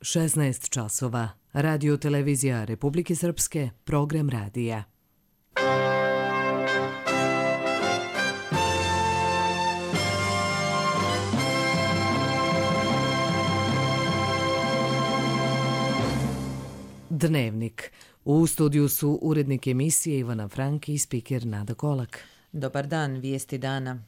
16 časova. Radio televizija Republike Srpske, program radija. Dnevnik. U studiju su urednik emisije Ivana Franki i spiker Nada Kolak. Dobar dan, vijesti dana.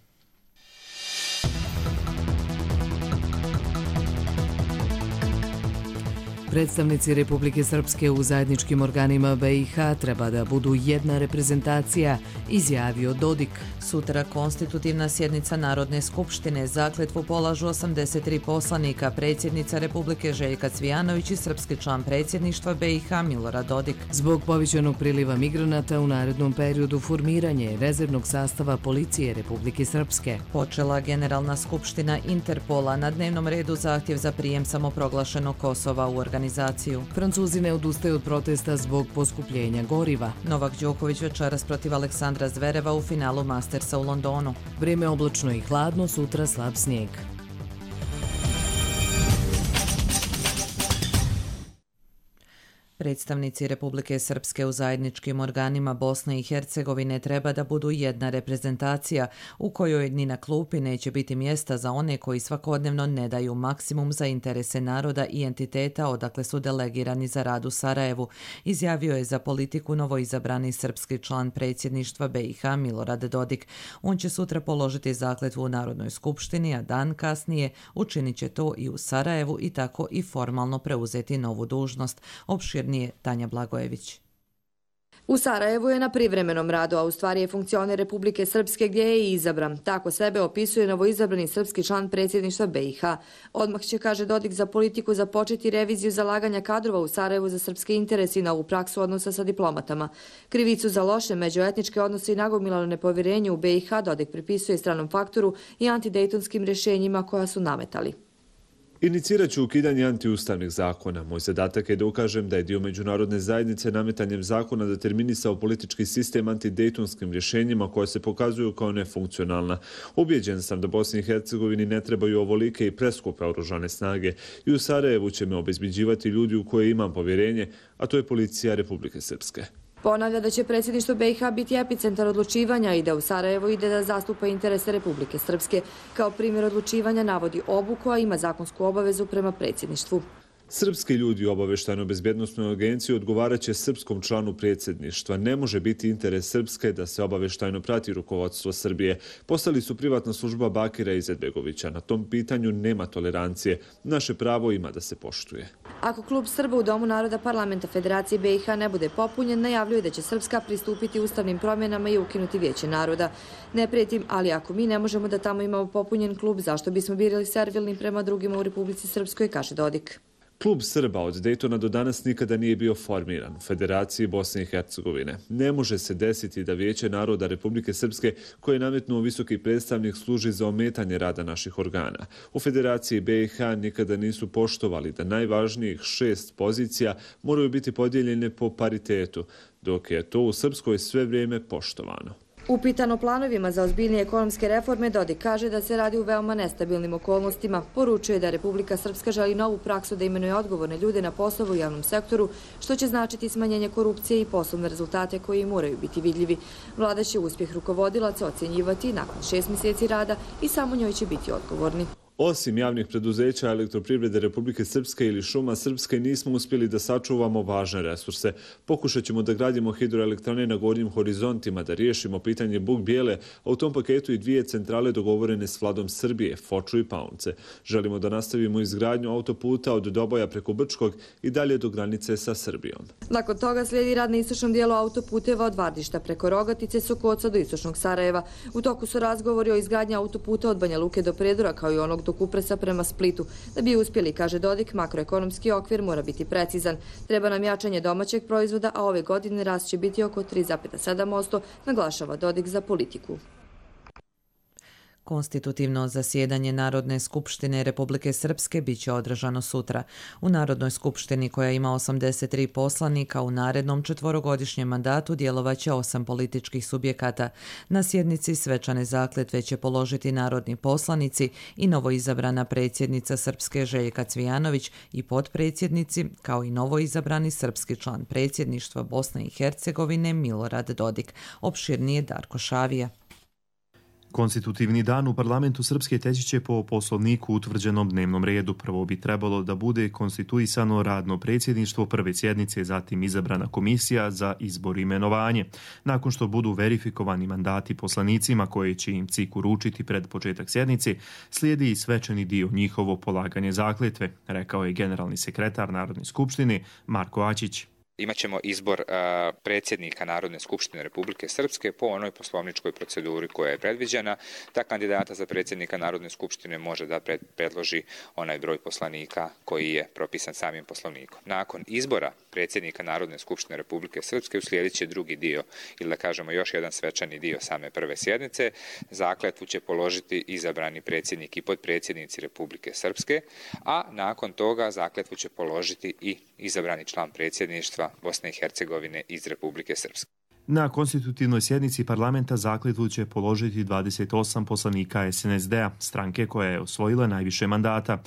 Predstavnici Republike Srpske u zajedničkim organima BiH treba da budu jedna reprezentacija, izjavio Dodik. Sutra konstitutivna sjednica Narodne skupštine, zakletvu polažu 83 poslanika, predsjednica Republike Željka Cvijanović i srpski član predsjedništva BiH Milorad Dodik. Zbog povećanog priliva migranata u narednom periodu formiranje rezervnog sastava policije Republike Srpske. Počela Generalna skupština Interpola, na dnevnom redu zahtjev za prijem samoproglašenog Kosova u organizaciju. Francuzi ne odustaju od protesta zbog poskupljenja goriva. Novak Đoković večeras protiv Aleksandra Zvereva u finalu Mastersa u Londonu. Vrijeme oblačno i hladno, sutra slab snijeg. Predstavnici Republike Srpske u zajedničkim organima Bosne i Hercegovine treba da budu jedna reprezentacija u kojoj ni na klupi neće biti mjesta za one koji svakodnevno ne daju maksimum za interese naroda i entiteta odakle su delegirani za rad u Sarajevu, izjavio je za politiku novoizabrani srpski član predsjedništva BiH Milorad Dodik. On će sutra položiti zakletvu u Narodnoj skupštini, a dan kasnije učinit će to i u Sarajevu i tako i formalno preuzeti novu dužnost. Opširnije Tanja Blagojević. U Sarajevu je na privremenom radu, a u stvari je funkcioner Republike Srpske gdje je i izabran. Tako sebe opisuje novoizabrani srpski član predsjedništva BiH. Odmah će, kaže Dodik, za politiku započeti reviziju zalaganja kadrova u Sarajevu za srpske interese i novu praksu odnosa sa diplomatama. Krivicu za loše međuetničke odnose i nagomilano nepovjerenje u BiH Dodik pripisuje stranom faktoru i antidejtonskim rješenjima koja su nametali. Inicirat ću ukidanje antiustavnih zakona. Moj zadatak je da ukažem da je dio međunarodne zajednice nametanjem zakona determinisao politički sistem antidejtonskim rješenjima koja se pokazuju kao nefunkcionalna. Ubjeđen sam da Bosni i Hercegovini ne trebaju ovolike i preskupe oružane snage i u Sarajevu će me obezbeđivati ljudi u koje imam povjerenje, a to je policija Republike Srpske. Ponavlja da će predsjedništvo BiH biti epicentar odlučivanja i da u Sarajevo ide da zastupa interese Republike Srpske. Kao primjer odlučivanja navodi obuku, a ima zakonsku obavezu prema predsjedništvu. Srpski ljudi u obavještajno-bezbjednosnoj agenciji odgovarat će srpskom članu predsjedništva. Ne može biti interes Srpske da se obavještajno prati rukovodstvo Srbije. Postali su privatna služba Bakira Izetbegovića. Na tom pitanju nema tolerancije. Naše pravo ima da se poštuje. Ako klub Srba u Domu naroda parlamenta Federacije BiH ne bude popunjen, najavljuje da će Srpska pristupiti ustavnim promjenama i ukinuti Vijeće naroda. Ne prijetim, ali ako mi ne možemo da tamo imamo popunjen klub, zašto bismo birali servilni prema drugima u Republici Srpskoj, kaže Dodik. Klub Srba od Dejtona do danas nikada nije bio formiran u Federaciji Bosne i Hercegovine. Ne može se desiti da Vijeće naroda Republike Srpske, koje je nametnuo visoki predstavnik, služi za ometanje rada naših organa. U Federaciji BiH nikada nisu poštovali da najvažnijih 6 pozicija moraju biti podijeljene po paritetu, dok je to u Srpskoj sve vrijeme poštovano. Upitan o planovima za ozbiljnije ekonomske reforme, Dodik kaže da se radi u veoma nestabilnim okolnostima. Poručuje da Republika Srpska želi novu praksu da imenuje odgovorne ljude na poslove u javnom sektoru, što će značiti smanjenje korupcije i poslovne rezultate koji moraju biti vidljivi. Vlada će uspjeh rukovodilaca ocjenjivati nakon 6 mjeseci rada i samo njoj će biti odgovorni. Osim javnih preduzeća Elektroprivrede Republike Srpske ili Šuma Srpske nismo uspjeli da sačuvamo važne resurse. Pokušat ćemo da gradimo hidroelektrane na gornjim horizontima, da riješimo pitanje Buk Bijele, a u tom paketu i 2 centrale dogovorene s vladom Srbije, Foču i Paunce. Želimo da nastavimo izgradnju autoputa od Doboja preko Brčkog i dalje do granice sa Srbijom. Nakon toga slijedi rad na istočnom dijelu autoputeva od Vardišta preko Rogatice, Sokoca do istočnog Sarajeva. U toku su razgovori o izgradnji autoputa od Banja Luke do Predora, kao i onog do Kupresa prema Splitu. Da bi uspjeli, kaže Dodik, makroekonomski okvir mora biti precizan. Treba nam jačanje domaćeg proizvoda, a ove godine rast će biti oko 3,7%, naglašava Dodik za politiku. Konstitutivno zasjedanje Narodne skupštine Republike Srpske bit će održano sutra. U Narodnoj skupštini, koja ima 83 poslanika, u narednom četvorogodišnjem mandatu djelovaće 8 političkih subjekata. Na sjednici svečane zakletve će položiti narodni poslanici i novoizabrana predsjednica Srpske Željka Cvijanović i potpredsjednici, kao i novoizabrani srpski član predsjedništva Bosne i Hercegovine Milorad Dodik. Opširnije Darko Šavija. Konstitutivni dan u parlamentu Srpske teći će po poslovniku utvrđenom dnevnom redu. Prvo bi trebalo da bude konstituisano radno predsjedništvo prve sjednice, zatim izabrana komisija za izbor i imenovanje. Nakon što budu verifikovani mandati poslanicima koje će im CIK uručiti pred početak sjednice, slijedi i svečani dio njihovo polaganje zakletve, rekao je generalni sekretar Narodne skupštine Marko Aćić. Imaćemo izbor predsjednika Narodne skupštine Republike Srpske po onoj poslovničkoj proceduri koja je predviđena. Ta kandidata za predsjednika Narodne skupštine može da predloži onaj broj poslanika koji je propisan samim poslovnikom. Nakon izbora predsjednika Narodne skupštine Republike Srpske uslijedit će drugi dio, ili da kažemo još jedan svečani dio same prve sjednice. Zakletvu će položiti izabrani predsjednik i potpredsjednici Republike Srpske, a nakon toga zakletvu će položiti i izabrani član predsjedništva Bosne i Hercegovine iz Republike Srpske. Na konstitutivnoj sjednici parlamenta zakletvu će položiti 28 poslanika SNSD-a, stranke koja je osvojila najviše mandata.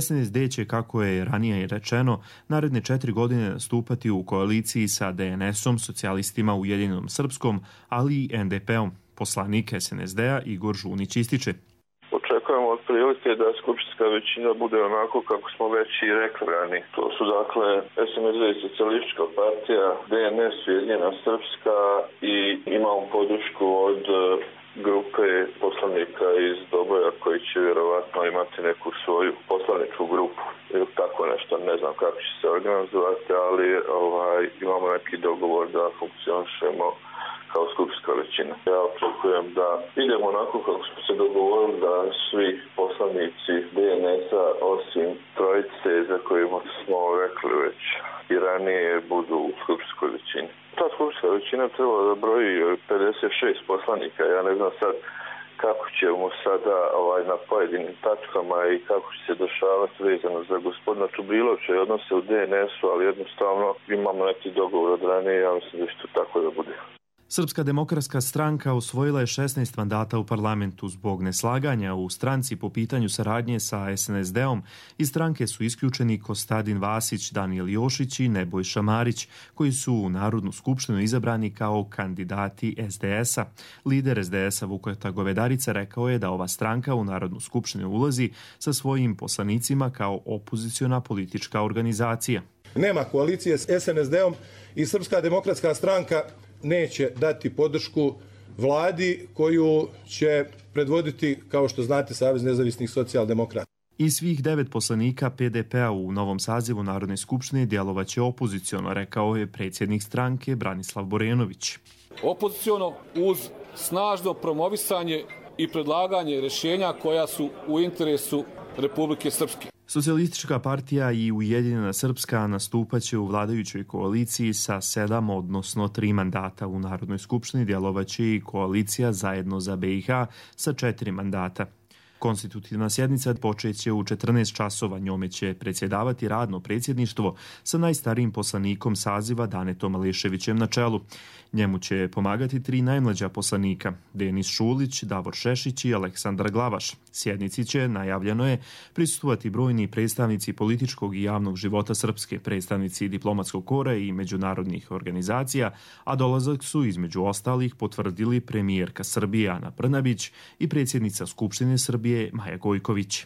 SNSD će, kako je ranije rečeno, naredne 4 godine nastupati u koaliciji sa DNS-om, socijalistima Ujedinjenom Srpskom, ali i NDP-om. Poslanik SNSD-a Igor Žunić ističe. Očekujemo otprilike da skupštinska većina bude onako kako smo već i rekli ranije. To su dakle SNSD i Socijalistička partija, DNS Ujedinjena Srpska i imamo podršku od grupe poslanika iz Doboja koji će vjerovatno imati neku svoju poslaničku grupu ili tako nešto, ne znam kako će se organizovati, ali imamo neki dogovor da funkcionišemo kao skupštinska većina. Ja očekujem da idemo onako kako smo se dogovorili, da svi poslanici DNS-a osim trojice za kojima smo rekli već i ranije budu u skupštinskoj većini. Ta skupštinska većina treba da broji 56 poslanika. Ja ne znam sad kako ćemo sada na pojedinim tačkama i kako će se dešavati vezano za gospodina Čubrilovića i odnose u DNS-u, ali jednostavno imamo neki dogovor od ranije, ja mislim da će to tako da bude. Srpska demokratska stranka osvojila je 16 mandata u parlamentu. Zbog neslaganja u stranci po pitanju saradnje sa SNSD-om iz stranke su isključeni Kostadin Vasić, Danijel Jošić i Nebojša Marić, koji su u Narodnu skupštinu izabrani kao kandidati SDS-a. Lider SDS-a Vuketa Govedarica rekao je da ova stranka u Narodnu skupštinu ulazi sa svojim poslanicima kao opoziciona politička organizacija. Nema koalicije s SNSD-om i Srpska demokratska stranka neće dati podršku vladi koju će predvoditi, kao što znate, Savez nezavisnih socijaldemokrata. I svih 9 poslanika PDP-a u novom sazivu Narodne skupštine djelovaće opoziciono, rekao je predsjednik stranke Branislav Borenović. Opoziciono uz snažno promovisanje i predlaganje rješenja koja su u interesu Republike Srpske. Socijalistička partija i Ujedinjena Srpska nastupaće u vladajućoj koaliciji sa 7, odnosno 3 mandata. U Narodnoj skupštini djelovaće i koalicija Zajedno za BiH sa 4 mandata. Konstitutivna sjednica počeće u 14 časova. Njome će predsjedavati radno predsjedništvo sa najstarijim poslanikom saziva Danetom Aleševićem na čelu. Njemu će pomagati 3 najmlađa poslanika, Denis Šulić, Davor Šešić i Aleksandar Glavaš. Sjednici će, najavljeno je, prisustvovati brojni predstavnici političkog i javnog života Srpske, predstavnici diplomatskog kora i međunarodnih organizacija, a dolazak su između ostalih potvrdili premijerka Srbije Ana Brnabić i predsjednica Skupštine Srbije Maja Gojković.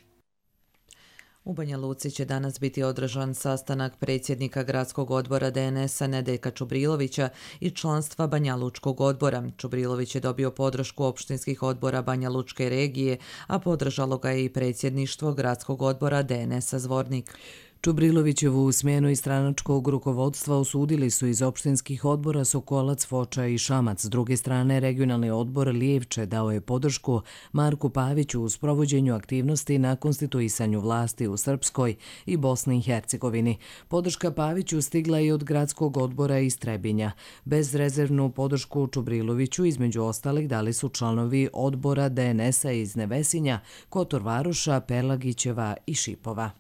U Banja Luci će danas biti održan sastanak predsjednika gradskog odbora DNS-a Nedeljka Čubrilovića i članstva Banja Lučkog odbora. Čubrilović je dobio podršku opštinskih odbora Banja Lučke regije, a podržalo ga je i predsjedništvo gradskog odbora DNS-a Zvornik. Čubrilovićevu smjenu iz stranačkog rukovodstva osudili su iz opštinskih odbora Sokolac, Foča i Šamac. S druge strane, regionalni odbor Lijevče dao je podršku Marku Paviću u sprovođenju aktivnosti na konstituisanju vlasti u Srpskoj i Bosni i Hercegovini. Podrška Paviću stigla i od gradskog odbora iz Trebinja. Bezrezervnu podršku Čubriloviću između ostalih dali su članovi odbora DNS-a iz Nevesinja, Kotor Varoša, Perlagićeva i Šipova.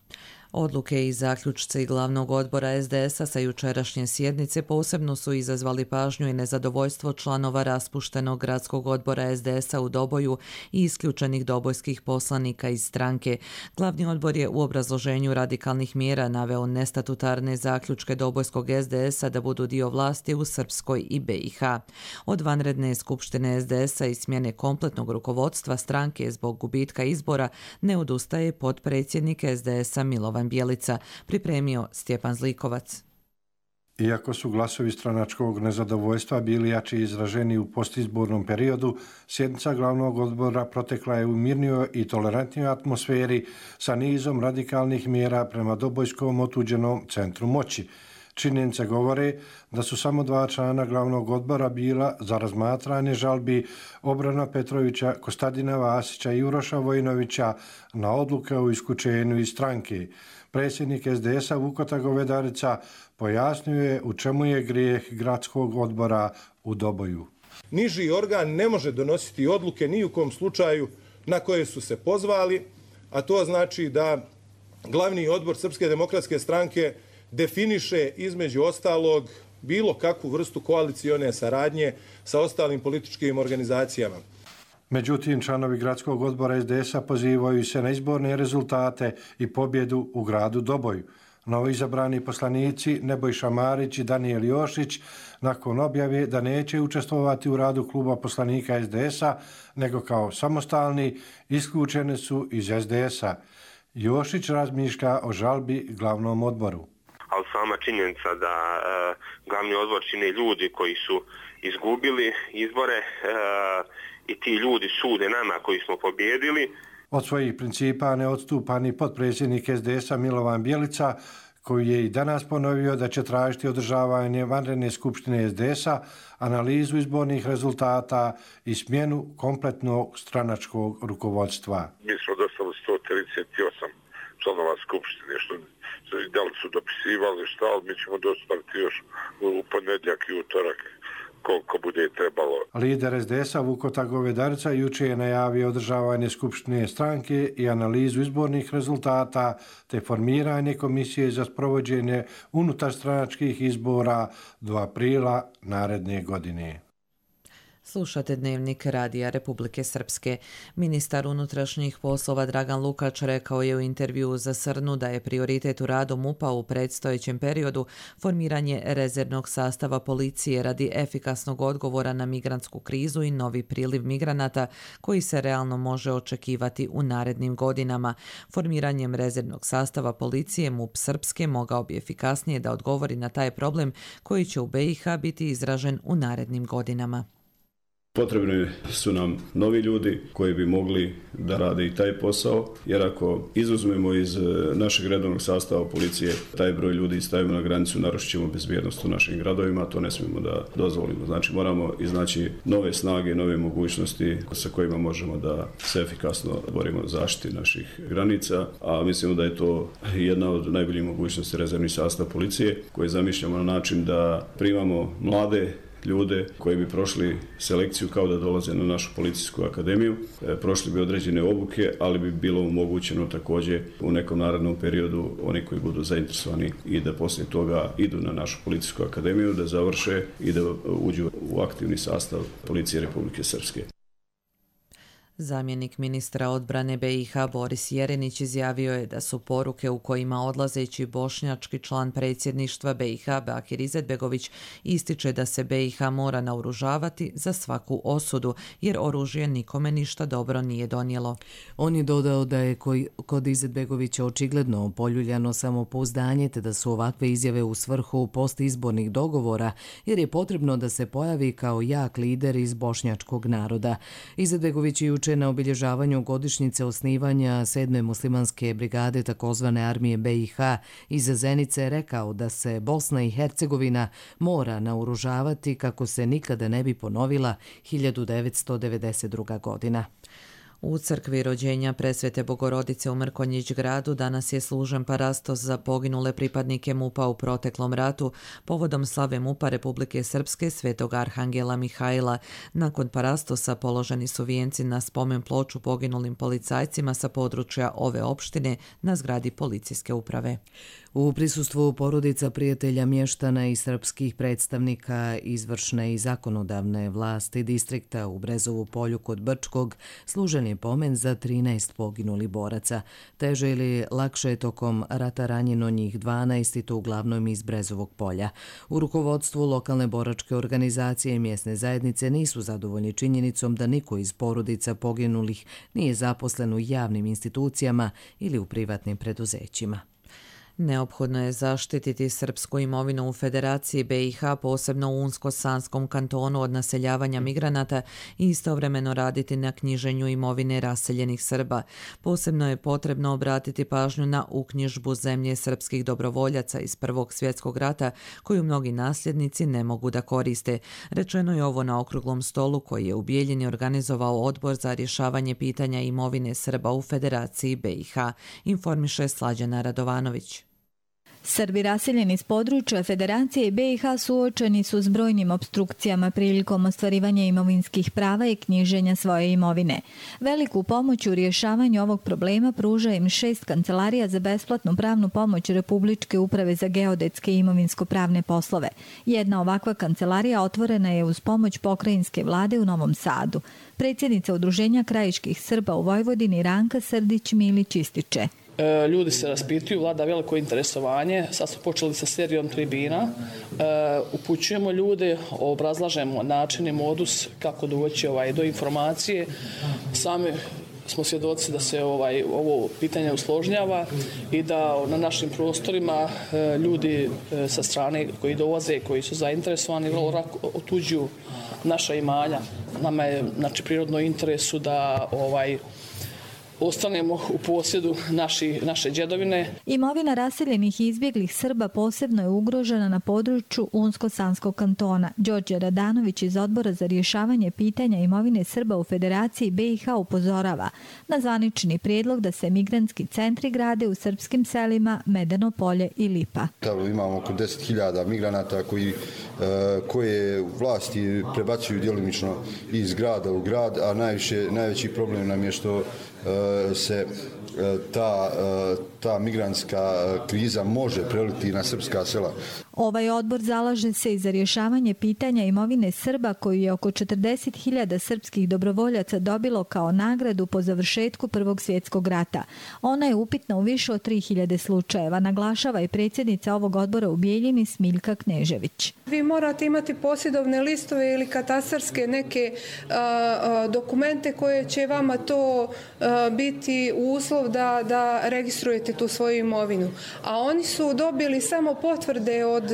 Odluke i zaključci glavnog odbora SDS-a sa jučerašnje sjednice posebno su izazvali pažnju i nezadovoljstvo članova raspuštenog gradskog odbora SDS-a u Doboju i isključenih dobojskih poslanika iz stranke. Glavni odbor je u obrazloženju radikalnih mjera naveo nestatutarne zaključke Dobojskog SDS-a da budu dio vlasti u Srpskoj i BiH. Od vanredne skupštine SDS-a i smjene kompletnog rukovodstva stranke zbog gubitka izbora ne odustaje potpredsjednik SDS-a Milovan Bjelica, pripremio Stjepan Zlikovac. Iako su glasovi stranačkog nezadovoljstva bili jači izraženi u postizbornom periodu, sjednica glavnog odbora protekla je u mirnijoj i tolerantnijoj atmosferi sa nizom radikalnih mjera prema Dobojskom otuđenom centru moći. Činjenice govore da su samo 2 člana glavnog odbora bila za razmatranje žalbi Obrana Petrovića, Kostadina Vasića i Uroša Vojinovića na odluke o isključenju iz stranke. Predsjednik SDS-a Vukota Govedarica pojasnio je u čemu je grijeh gradskog odbora u Doboju. Niži organ ne može donositi odluke ni u kom slučaju na koje su se pozvali, a to znači da glavni odbor Srpske demokratske stranke definiše između ostalog bilo kakvu vrstu koalicione saradnje sa ostalim političkim organizacijama. Međutim, članovi gradskog odbora SDS-a pozivaju se na izborne rezultate i pobjedu u gradu Doboju. Novoizabrani poslanici Nebojša Marić i Danijel Jošić nakon objave da neće učestvovati u radu kluba poslanika SDS-a, nego kao samostalni, isključeni su iz SDS-a. Jošić razmišlja o žalbi glavnom odboru. Ali sama činjenica da glavni odbor čine ljudi koji su izgubili izbore i ti ljudi sude nama koji smo pobjedili. Od svojih principa ne odstupa ni potpredsjednik SDS-a Milovan Bjelica, koji je i danas ponovio da će tražiti održavanje vanredne skupštine SDS-a, analizu izbornih rezultata i smjenu kompletnog stranačkog rukovodstva. Mi smo dostali 138 članova skupštine, što da li su dopisivali šta, ali mi ćemo dostaviti još u ponedjeljak i utorak koliko bude trebalo. Lider SDS-a Vukota Govedarica juče je najavio održavanje skupštine stranke i analizu izbornih rezultata te formiranje komisije za sprovođenje unutarstranačkih izbora do aprila naredne godine. Slušate Dnevnik Radija Republike Srpske. Ministar unutrašnjih poslova Dragan Lukač rekao je u intervjuu za Srnu da je prioritet u radu MUP-a u predstojećem periodu formiranje rezervnog sastava policije radi efikasnog odgovora na migrantsku krizu i novi priliv migranata koji se realno može očekivati u narednim godinama. Formiranjem rezervnog sastava policije MUP Srpske mogao bi efikasnije da odgovori na taj problem koji će u BiH biti izražen u narednim godinama. Potrebni su nam novi ljudi koji bi mogli da rade i taj posao, jer ako izuzmemo iz našeg redovnog sastava policije taj broj ljudi stavimo na granicu, narušit ćemo bezbjednost u našim gradovima, to ne smijemo da dozvolimo. Znači moramo iznaći nove snage, nove mogućnosti sa kojima možemo da se efikasno borimo za zaštiti naših granica, a mislimo da je to jedna od najboljih mogućnosti rezervni sastav policije koji zamišljamo na način da primamo mlade ljude koji bi prošli selekciju kao da dolaze na našu policijsku akademiju, prošli bi određene obuke, ali bi bilo omogućeno također u nekom narednom periodu oni koji budu zainteresovani i da poslije toga idu na našu policijsku akademiju, da završe i da uđu u aktivni sastav Policije Republike Srpske. Zamjenik ministra odbrane BiH Boris Jerenić izjavio je da su poruke u kojima odlazeći bošnjački član predsjedništva BiH Bakir Izetbegović ističe da se BiH mora naoružavati za svaku osudu, jer oružje nikome ništa dobro nije donijelo. On je dodao da je kod Izetbegovića očigledno poljuljano samopouzdanje te da su ovakve izjave u svrhu postizbornih dogovora, jer je potrebno da se pojavi kao jak lider iz bošnjačkog naroda. Izetbegović je jučer juče na obilježavanju godišnjice osnivanja 7. muslimanske brigade takozvane armije BiH iz Zenice rekao da se Bosna i Hercegovina mora naoružavati kako se nikada ne bi ponovila 1992. godina. U crkvi rođenja Presvete Bogorodice u Mrkonjić gradu danas je služen parastos za poginule pripadnike MUP-a u proteklom ratu povodom slave MUP-a Republike Srpske Svetog Arhangela Mihajla. Nakon parastosa položeni su vijenci na spomen ploču poginulim policajcima sa područja ove opštine na zgradi policijske uprave. U prisustvu porodica, prijatelja, mještana i srpskih predstavnika izvršne i zakonodavne vlasti distrikta u Brezovu polju kod Brčkog služen je pomen za 13 poginulih boraca. Teže ili lakše je tokom rata ranjeno njih 12 i to uglavnom iz Brezovog polja. U rukovodstvu lokalne boračke organizacije i mjesne zajednice nisu zadovoljni činjenicom da niko iz porodica poginulih nije zaposlen u javnim institucijama ili u privatnim preduzećima. Neophodno je zaštititi srpsku imovinu u Federaciji BiH, posebno u Unsko-Sanskom kantonu od naseljavanja migranata i istovremeno raditi na knjiženju imovine raseljenih Srba. Posebno je potrebno obratiti pažnju na uknjižbu zemlje srpskih dobrovoljaca iz Prvog svjetskog rata koju mnogi nasljednici ne mogu da koriste. Rečeno je ovo na okruglom stolu koji je u Bijeljini organizovao odbor za rješavanje pitanja imovine Srba u Federaciji BiH, informiše Slađana Radovanović. Srbi raseljeni iz područja Federacije BiH suočeni su s brojnim opstrukcijama prilikom ostvarivanja imovinskih prava i knjiženja svoje imovine. Veliku pomoć u rješavanju ovog problema pruža im 6 kancelarija za besplatnu pravnu pomoć Republičke uprave za geodetske i imovinsko-pravne poslove. Jedna ovakva kancelarija otvorena je uz pomoć pokrajinske vlade u Novom Sadu. Predsjednica Udruženja krajiških Srba u Vojvodini Ranka Srdić-Milić ističe. Ljudi se raspituju, vlada veliko interesovanje. Sad smo počeli sa serijom tribina. Upućujemo ljude, obrazlažemo način i modus kako doći do informacije. Sami smo svjedoci da se ovo pitanje usložnjava i da na našim prostorima ljudi sa strane koji dolaze, koji su zainteresovani, vrlo lako otuđuju naša imanja. Nama je prirodno interesu da ostanemo u posjedu naše djedovine. Imovina raseljenih i izbjeglih Srba posebno je ugrožena na području Unsko-Sanskog kantona. Đorđe Radanović iz Odbora za rješavanje pitanja imovine Srba u Federaciji BiH upozorava na zvanični prijedlog da se migrantski centri grade u srpskim selima Medeno polje i Lipa. Imamo oko 10.000 migranata koje vlasti prebacuju djelimično iz grada u grad, a najveći problem nam je što se ta migrantska kriza može preliti na srpska sela. Ovaj odbor zalaže se i za rješavanje pitanja imovine Srba koju je oko 40.000 srpskih dobrovoljaca dobilo kao nagradu po završetku Prvog svjetskog rata. Ona je upitna u više od 3.000 slučajeva, naglašava i predsjednica ovog odbora u Bijeljini Smiljka Knežević. Vi morate imati posjedovne listove ili katastarske neke dokumente koje će vama to biti uslov da registrujete tu svoju imovinu. A oni su dobili samo potvrde od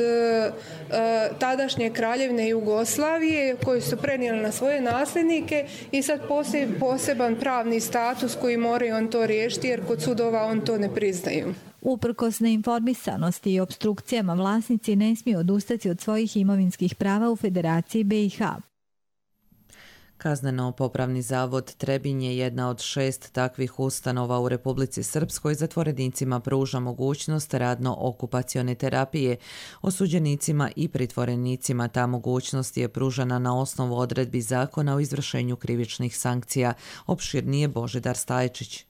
tadašnje kraljevine Jugoslavije koji su prenijeli na svoje nasljednike i sad poseban pravni status koji moraju on to riješiti jer kod sudova on to ne priznaju. Uprkos neinformisanosti i opstrukcijama vlasnici ne smiju odustati od svojih imovinskih prava u Federaciji BiH. Kazneno-popravni zavod Trebinje je jedna od 6 takvih ustanova u Republici Srpskoj. Zatvorenicima pruža mogućnost radno-okupacione terapije. Osuđenicima i pritvorenicima ta mogućnost je pružana na osnovu odredbi zakona o izvršenju krivičnih sankcija. Opširnije Božidar Stajčić.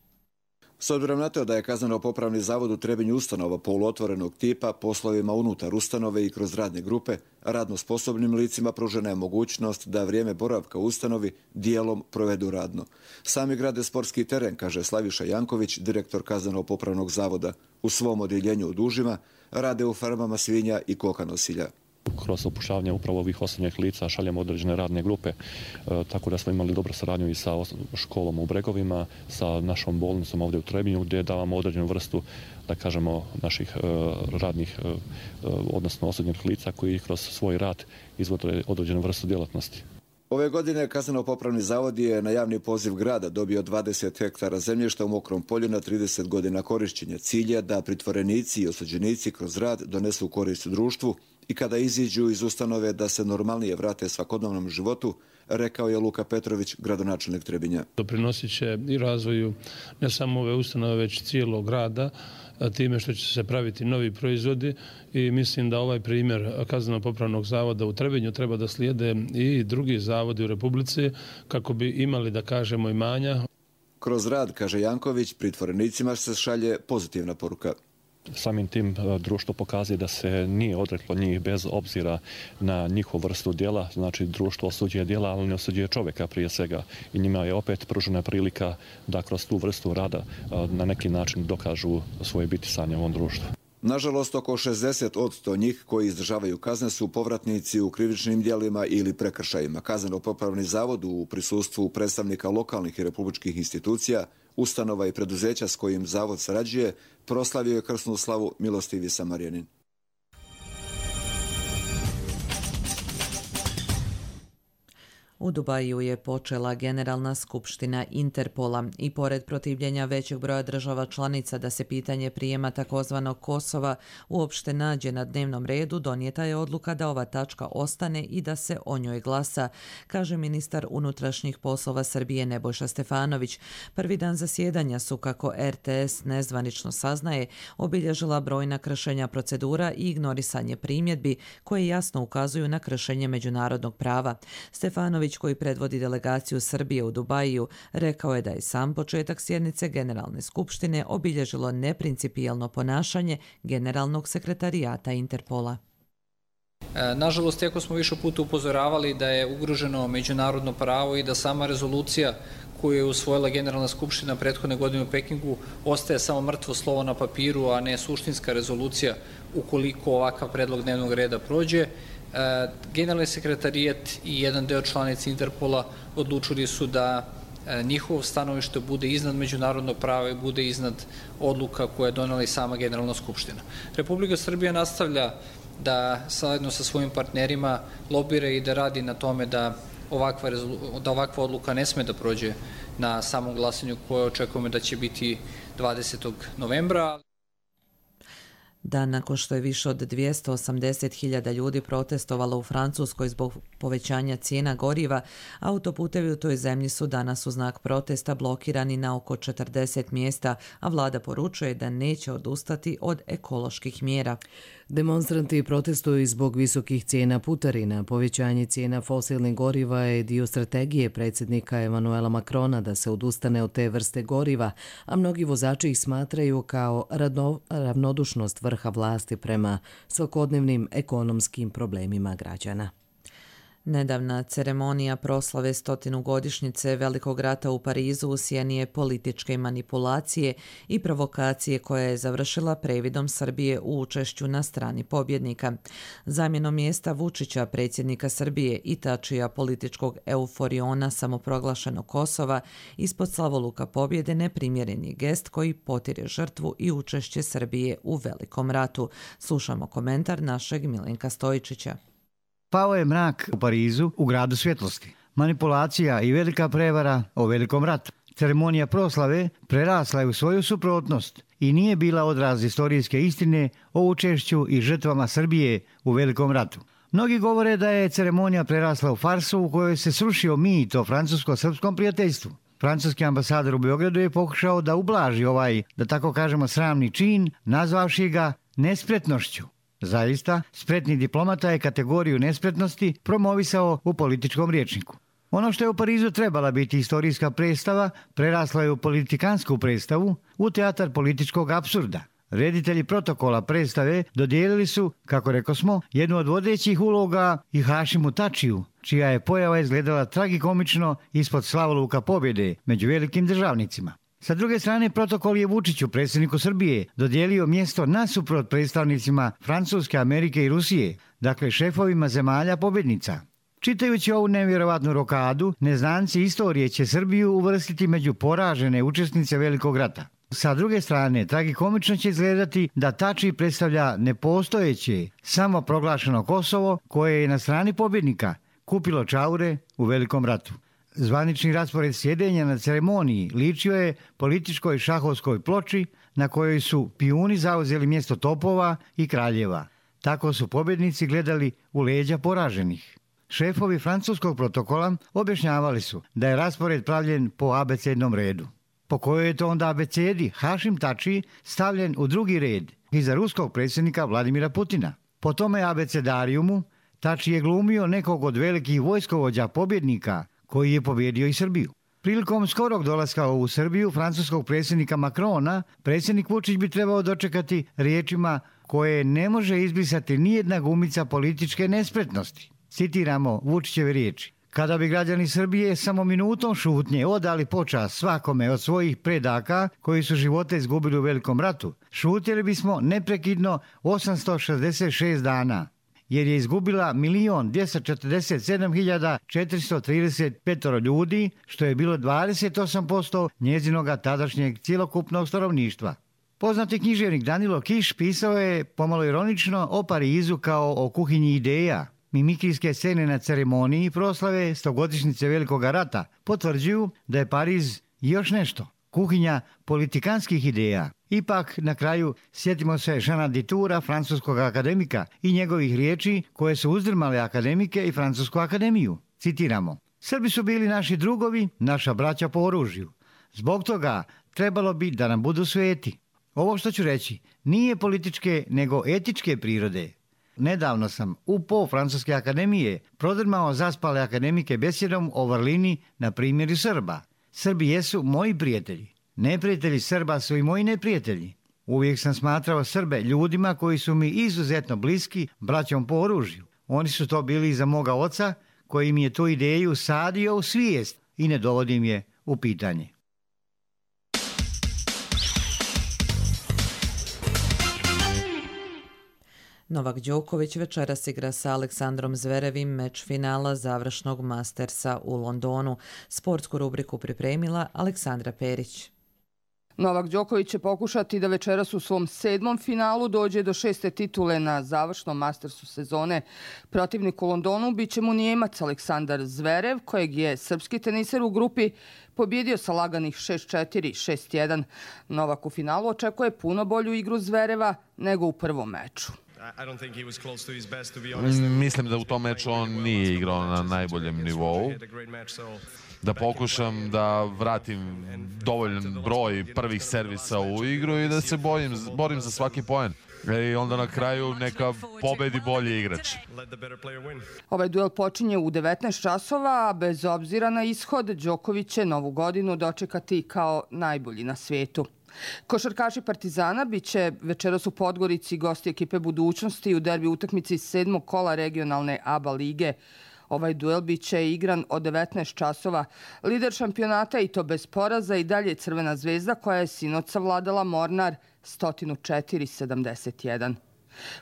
S obzirom na to da je kazneno-popravni zavod u Trebinju ustanova poluotvorenog tipa, poslovima unutar ustanove i kroz radne grupe, radno sposobnim licima pružena je mogućnost da vrijeme boravka u ustanovi dijelom provedu radno. Sami grade sportski teren, kaže Slaviša Janković, direktor kazneno-popravnog zavoda. U svom odjeljenju u Dužima rade u farmama svinja i koka nosilja. Kroz upošljavanje upravo ovih osobnih lica šaljemo određene radne grupe, tako da smo imali dobru saradnju i sa školom u Bregovima, sa našom bolnicom ovdje u Trebinju, gdje davamo određenu vrstu, da kažemo, naših radnih, odnosno osobnih lica koji kroz svoj rad izvode određenu vrstu djelatnosti. Ove godine Kazneno-popravni zavod je na javni poziv grada dobio 20 hektara zemljišta u Mokrom polju na 30 godina korišćenja. Cilj je da pritvorenici i osuđenici kroz rad donesu korist društvu i kada iziđu iz ustanove da se normalnije vrate svakodnevnom životu, rekao je Luka Petrović, gradonačelnik Trebinja. Doprinosit će i razvoju ne samo ove ustanove, već cijelog grada, time što će se praviti novi proizvodi i mislim da ovaj primjer Kazneno-popravnog zavoda u Trebinju treba da slijede i drugi zavodi u Republici kako bi imali, da kažemo, imanja. Kroz rad, kaže Janković, pritvorenicima se šalje pozitivna poruka. Samim tim društvo pokazuje da se nije odreklo njih bez obzira na njihovu vrstu djela. Znači, društvo osuđuje djela, ali ne osuđuje čovjeka prije svega. I njima je opet pružena prilika da kroz tu vrstu rada na neki način dokažu svoje bitisanje u ovom društvu. Nažalost, oko 60% njih koji izdržavaju kazne su povratnici u krivičnim djelima ili prekršajima. Kazneno-popravni zavod u prisustvu predstavnika lokalnih i republičkih institucija, ustanova i preduzeća s kojim zavod sarađuje, proslavio je krsnu slavu Milostivi Samarjanin. U Dubaju je počela Generalna skupština Interpola i pored protivljenja većeg broja država članica da se pitanje prijema takozvanog Kosova uopšte nađe na dnevnom redu, donijeta je odluka da ova tačka ostane i da se o njoj glasa, kaže ministar unutrašnjih poslova Srbije Nebojša Stefanović. Prvi dan zasjedanja su, kako RTS nezvanično saznaje, obilježila brojna kršenja procedura i ignorisanje primjedbi koje jasno ukazuju na kršenje međunarodnog prava. Stefanović, koji predvodi delegaciju Srbije u Dubaju, rekao je da je sam početak sjednice Generalne skupštine obilježilo neprincipijelno ponašanje Generalnog sekretarijata Interpola. Nažalost, iako smo više puta upozoravali da je ugroženo međunarodno pravo i da sama rezolucija koju je usvojila Generalna skupština prethodne godine u Pekingu ostaje samo mrtvo slovo na papiru, a ne suštinska rezolucija ukoliko ovakav predlog dnevnog reda prođe, Generalni sekretarijat i jedan deo članica Interpola odlučili su da njihovo stanovište bude iznad međunarodnog prava i bude iznad odluka koje je donela i sama Generalna skupština. Republika Srbija nastavlja da zajedno sa svojim partnerima lobira i da radi na tome da ovakva odluka ne sme da prođe na samom glasanju koje očekujemo da će biti 20. novembra. Dan nakon što je više od 280.000 ljudi protestovalo u Francuskoj zbog povećanja cijena goriva, autoputevi u toj zemlji su danas u znak protesta blokirani na oko 40 mjesta, a vlada poručuje da neće odustati od ekoloških mjera. Demonstranti protestuju zbog visokih cijena putarina. Povećanje cijena fosilnih goriva je dio strategije predsjednika Emanuela Macrona da se odustane od te vrste goriva, a mnogi vozači ih smatraju kao ravnodušnost vrha vlasti prema svakodnevnim ekonomskim problemima građana. Nedavna ceremonija proslave 100-godišnjice Velikog rata u Parizu u sjeni je političke manipulacije i provokacije koja je završila previdom Srbije u učešću na strani pobjednika. Zamjenom mjesta Vučića, predsjednika Srbije, i tačija političkog euforiona samoproglašenog Kosova, ispod slavoluka pobjede neprimjeren je gest koji potire žrtvu i učešće Srbije u Velikom ratu. Slušamo komentar našeg Milenka Stojičića. Pao je mrak u Parizu, u gradu svjetlosti. Manipulacija i velika prevara o Velikom ratu. Ceremonija proslave prerasla je u svoju suprotnost i nije bila odraz istorijske istine o učešću i žrtvama Srbije u Velikom ratu. Mnogi govore da je ceremonija prerasla u farsu u kojoj se srušio mit o francusko-srpskom prijateljstvu. Francuski ambasador u Beogradu je pokušao da ublaži ovaj, da tako kažemo, sramni čin, nazvavši ga nespretnošću. Zaista, spretni diplomata je kategoriju nespretnosti promovisao u političkom rječniku. Ono što je u Parizu trebala biti istorijska predstava, prerasla je u politikansku predstavu, u teatar političkog apsurda. Reditelji protokola predstave dodijelili su, kako rekosmo, jednu od vodećih uloga i Hašimu Tačiju, čija je pojava izgledala tragikomično ispod slavoluka pobjede među velikim državnicima. Sa druge strane, protokol je Vučiću, predsjedniku Srbije, dodijelio mjesto nasuprot predstavnicima Francuske, Amerike i Rusije, dakle šefovima zemalja pobjednica. Čitajući ovu nevjerovatnu rokadu, neznanci istorije će Srbiju uvrstiti među poražene učesnice Velikog rata. Sa druge strane, tragikomično će izgledati da Tači predstavlja nepostojeće, samoproglašeno Kosovo koje je na strani pobjednika, kupilo čaure u Velikom ratu. Zvanični raspored sjedenja na ceremoniji ličio je političkoj šahovskoj ploči na kojoj su pijuni zauzeli mjesto topova i kraljeva. Tako su pobjednici gledali u leđa poraženih. Šefovi francuskog protokola objašnjavali su da je raspored pravljen po abecednom redu. Po kojoj je to onda abecedi Hašim Tači stavljen u drugi red iza ruskog predsjednika Vladimira Putina. Po tome abecedarijumu Tači je glumio nekog od velikih vojskovođa pobjednika koji je pobjedio i Srbiju. Prilikom skorog dolaska u Srbiju francuskog predsjednika Macrona, predsjednik Vučić bi trebao dočekati riječima koje ne može izbrisati nijedna gumica političke nespretnosti. Citiramo Vučićeve riječi. Kada bi građani Srbije samo minutom šutnje odali počast svakome od svojih predaka koji su živote izgubili u Velikom ratu, šutjeli bismo neprekidno 866 dana, jer je izgubila 1.247.435 ljudi, što je bilo 28% njezinoga tadašnjeg cjelokupnog stanovništva. Poznati književnik Danilo Kiš pisao je pomalo ironično o Parizu kao o kuhinji ideja. Mimikrijske scene na ceremoniji proslave 100-godišnjice Velikog rata potvrđuju da je Pariz još nešto, kuhinja politikanskih ideja. Ipak, na kraju, sjetimo se Jeana Ditoura, francuskog akademika, i njegovih riječi koje su uzdrmale akademike i Francusku akademiju. Citiramo: Srbi su bili naši drugovi, naša braća po oružju. Zbog toga trebalo bi da nam budu sveti. Ovo što ću reći nije političke nego etičke prirode. Nedavno sam u po Francuske akademije prodrmao zaspale akademike besjedom o vrlini na primjeru Srba. Srbi jesu moji prijatelji. Neprijatelji Srba su i moji neprijatelji. Uvijek sam smatrao Srbe ljudima koji su mi izuzetno bliski, braćom po oružju. Oni su to bili iza moga oca, koji mi je tu ideju sadio u svijest i ne dovodim je u pitanje. Novak Đoković večeras igra sa Aleksandrom Zverevim meč finala završnog Mastersa u Londonu. Sportsku rubriku pripremila Aleksandra Perić. Novak Đoković će pokušati da večeras u svom 7. finalu dođe do 6. titule na završnom Mastersu sezone. Protivnik u Londonu biće mu Nijemac Aleksandar Zverev, kojeg je srpski teniser u grupi pobjedio sa laganih 6-4, 6-1. Novak u finalu očekuje puno bolju igru Zvereva nego u prvom meču. Mislim da u tom meču on nije igrao na najboljem nivou. Da pokušam da vratim dovoljan broj prvih servisa u igru i da se borim za svaki poen. I onda na kraju neka pobedi bolji igrač. Ovaj duel počinje u 19 časova, a bez obzira na ishod, Đoković će novu godinu dočekati kao najbolji na svijetu. Košarkaši Partizana biće večeras u Podgorici gosti ekipe Budućnosti u derbi utakmici 7. kola regionalne ABA lige. Ovaj duel biće igran od 19 časova. Lider šampionata, i to bez poraza, i dalje Crvena zvezda, koja je sinoć savladala Mornar 104-71.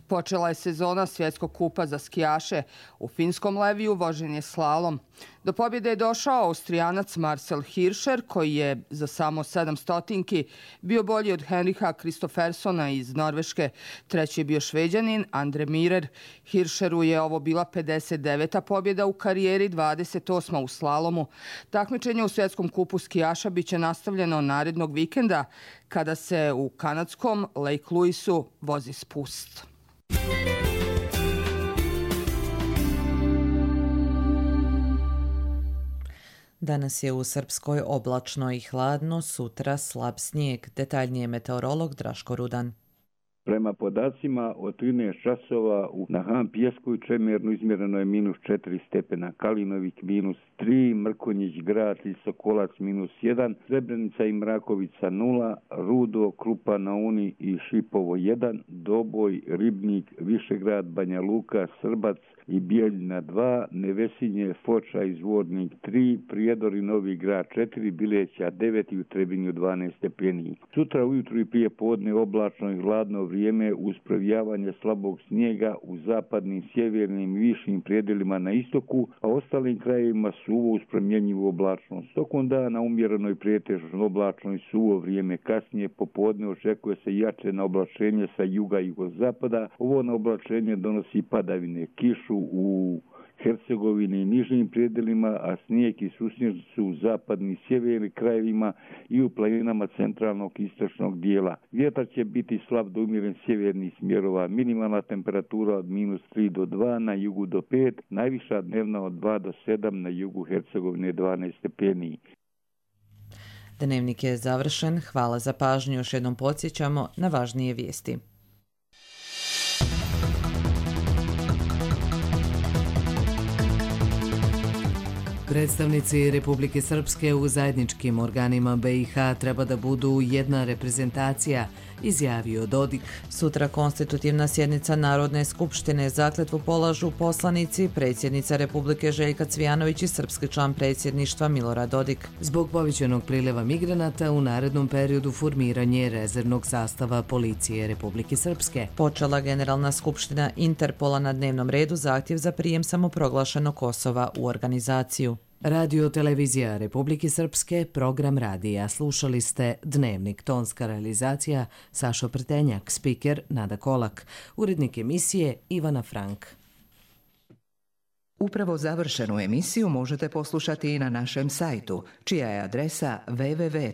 Počela je sezona svjetskog kupa za skijaše. U finskom Leviju vožen je slalom. Do pobjede je došao Austrijanac Marcel Hirscher, koji je za samo 700 bio bolji od Henricha Kristoffersona iz Norveške. Treći je bio Šveđanin Andre Mirer. Hirscheru je ovo bila 59. pobjeda u karijeri, 28. u slalomu. Takmičenje u svjetskom kupu skijaša biće nastavljeno narednog vikenda, kada se u kanadskom Lake Louisu vozi spust. Danas je u Srpskoj oblačno i hladno, sutra slab snijeg. Detaljnije meteorolog Draško Rudan. Prema podacima od 13 časova na Han Pjeskoj Čemernu izmjereno je -4 stepena, Kalinovik -3, Mrkonjić Grad i Sokolac -1, Srebrenica i Mrakovica 0, Rudo, Krupa na Uni i Šipovo 1, Doboj, Ribnik, Višegrad, Banja Luka, Srbac i Bijeljina 2, Nevesinje, Foča i Zvornik 3, Prijedor i Novi Grad 4, Bileća 9 i u Trebinju 12 stepeni. Sutra ujutru i prije podne oblačno i hladno vrijeme uz provijavanje slabog snijega u zapadnim, sjevernim i višim prijedelima na istoku, a ostalim krajevima suvo uz promjenjivu oblačnost. Tokom dana umjereno i pretežno oblačno i suvo vrijeme. Kasnije popodne očekuje se jače na oblačenje sa juga i jugozapada. Ovo na oblačenje donosi padavine, kišu u Hercegovine i nižim predelima, a snijeg i susnjež su u zapadnim i sjevernim krajevima i u planinama centralnog i istočnog dijela. Vjetar će biti slab do umjeren sjevernih smjerova. Minimalna temperatura od -3 do 2, na jugu do 5, najviša dnevna od 2 do 7, na jugu Hercegovine 12 stepeni. Dnevnik je završen. Hvala za pažnju. Još jednom podsjećamo na važnije vijesti. Predstavnici Republike Srpske u zajedničkim organima BiH treba da budu jedna reprezentacija, izjavio Dodik. Sutra konstitutivna sjednica Narodne skupštine. Zakletvu polažu poslanici, predsjednica Republike Željka Cvijanović i srpski član predsjedništva Milorad Dodik. Zbog povećanog priljeva migranata u narednom periodu formiranje rezervnog sastava policije Republike Srpske. Počela Generalna skupština Interpola, na dnevnom redu zahtjev za prijem samoproglašenog Kosova u organizaciju. Radio televizija Republike Srpske, program radija. Slušali ste Dnevnik, tonska realizacija Sašo Prtenjak, spiker Nada Kolak, urednik emisije Ivana Frank. Upravo završenu emisiju možete poslušati i na našem sajtu, čija je adresa www.rtrs.tv.